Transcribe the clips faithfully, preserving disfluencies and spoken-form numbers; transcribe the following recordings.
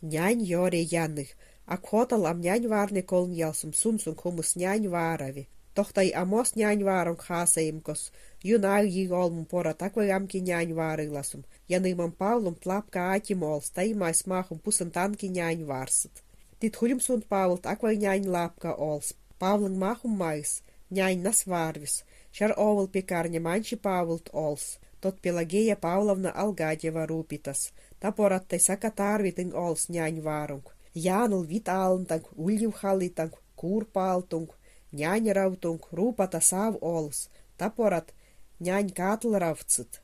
Нянь ёре яны. Ак хотал ам нянь варне колынъялсым сунсуң хумыс нянь варве. Тохтай ам ос нянь варон хасаим кос. Юн ай йыг олмум порат аквай амки нянь варыласум. Янымам Павлумт лапка атим олс, таймайс махум пусан танки нянь варсыт. Тит хульмсунт Павлт аквай нянь лапка олс. Павлын махум майс нянь нас варвис. Сяр овал пекарня маньчи Павлт олс. Тот Пелагея Павловна Алгадева рупитас. Та порат тай сака тарвитын олс нянь варунг. Янул вит алнтанг, уллив халитанг, кур палтунг, нянь равтунг, рупата сав олс. Та порат нянь катл равтсыт.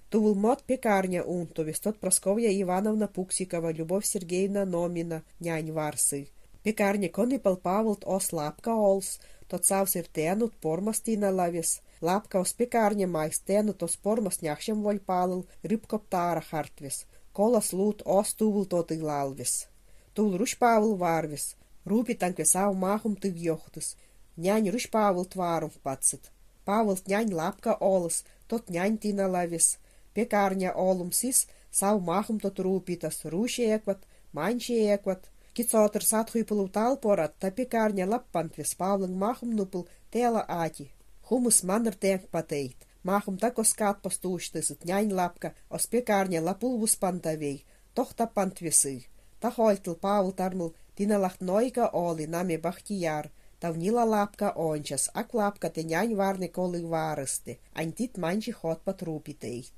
Тувыл мот пекарня унтувис, тот Прасковья Ивановна Пуксикова, Любовь Сергеевна Номина нянь варсыв. Пекарня конипал Павлт ос лапка олс, тот сав сир тэнут пормас тина лавис. Лапка ос пекарня майс тэнут ос пормас няхсем воль палыл, рыбкоп тара хартвис. Колас лут ос тувыл тоты лалвис. Тувыл Русь Павл варвис. Рупитанг ве сав махум тыв ёхтыс. Нянь Русь Павлт варум патсыт. Павлт нянь лапка олыс, тот нянь тина лавис. Пекарня олум сис, сав махум тот рупитас, Русь экват, маньчи экват. Кит сотыр сат хуйпулув тал порат та пекарня лаппант вес, Павлын махум нупыл тээла ати. Хумыс манр тэнгпатейт. Махум та кос катпас туштысыт, нянь лапка ос пекарня лапул вуспантавей. Тохтаппант весыв. Та хольтыл Павл тармыл тина лахт нойка олы, наме Бахтияр. Тав нила лапка ончас, ак лапка тэ нянь варне колы варысте. Ань тит маньчи хотпат рупитейт.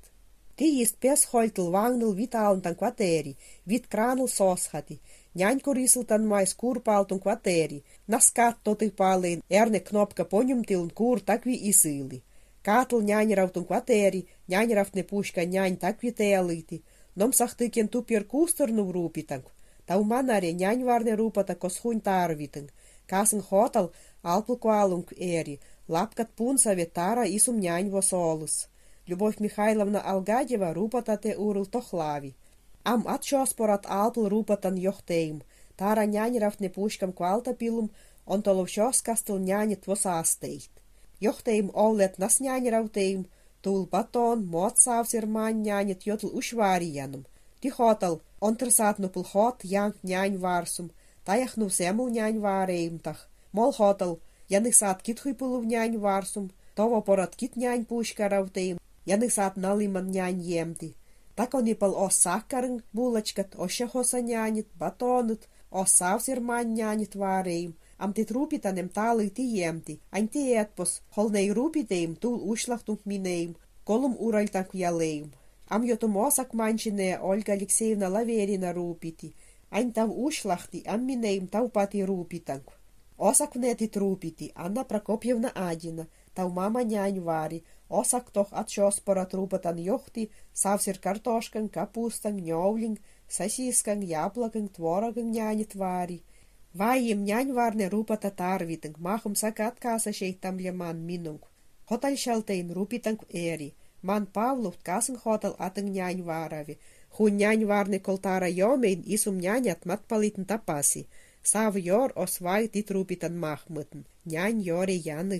Тиист пес хольтыл ванныл вит алнтан кватери, вит краныл сосхати. Нянь курисыл тан майс кур палтун кватери. Нас кат тоты палын, эрне кнопка понюмтылын кур такви исылы. Катл нянь равтун кватери, нянь равтне пушка нянь такви тэалыти. Ном сахты кен тупьер кустырнув рупитанг. Тав манаре нянь варне рупата кос хунь тарвитынг. Касын хотал алпыл квалунг эри, лапкат пунсаве тара исум нянь вос олыс. Любовь Михайловна Алгадева рупата тэ урыл тохлави. Ам ат сёс порат алпыл рупатан ёхтэйм. Тара нянь равтне пушкам квалта пилум, он толов сёс кастыл няньыт вос астейт. Ёхтэйм олэт нас нянь равтэйм, тул батон, мот сав сир мань няньыт йотл уш вари янум. Ти хотал, он тыр сат нупыл хот, янг нянь варсум, таяхнув сэмл нянь варейм тах. Мол хотал, яны сат кит хуйпулув нянь варсум, того порат кит нянь пушка равтэйм, яны сат налыман нянь емти. Та конипал ос саккарын булочкат, ос сяхоса няньыт, батоныт, ос сав сир мань няньыт варейм. Ам тит рупитан эм талы ти емти, ань ти этпос, холнэй рупитэйм, тул ушлахтунг минэйм, колум уральтанг ялэйм. Ам йотум осак маньчинэ Ольга Алексеевна Лаверина рупити. Ань тав ушлахти, ам минэйм тав пати рупитанг. Осак внэ тит рупити Анна Прокопьевна Адина, тав мама нянь вари. Осак тох ат сёс порат рупатан ёхти, сав сир картошкан, капустан, нёвлин, сосискан, яблокын, творогын няньыт вари. Вайим нянь варне рупата тарвитынг, махум сака ат касасьэй тамлеман минунг. Хоталь сялтэйн рупитанг эри. Ман Павлувт касын хотал атын нянь варави. Хун нянь варне кол тара ёмэйн исум няньыт мат палитын тапаси. Сав ёр ос вай тит рупитан махмытын. Нянь ёре яны.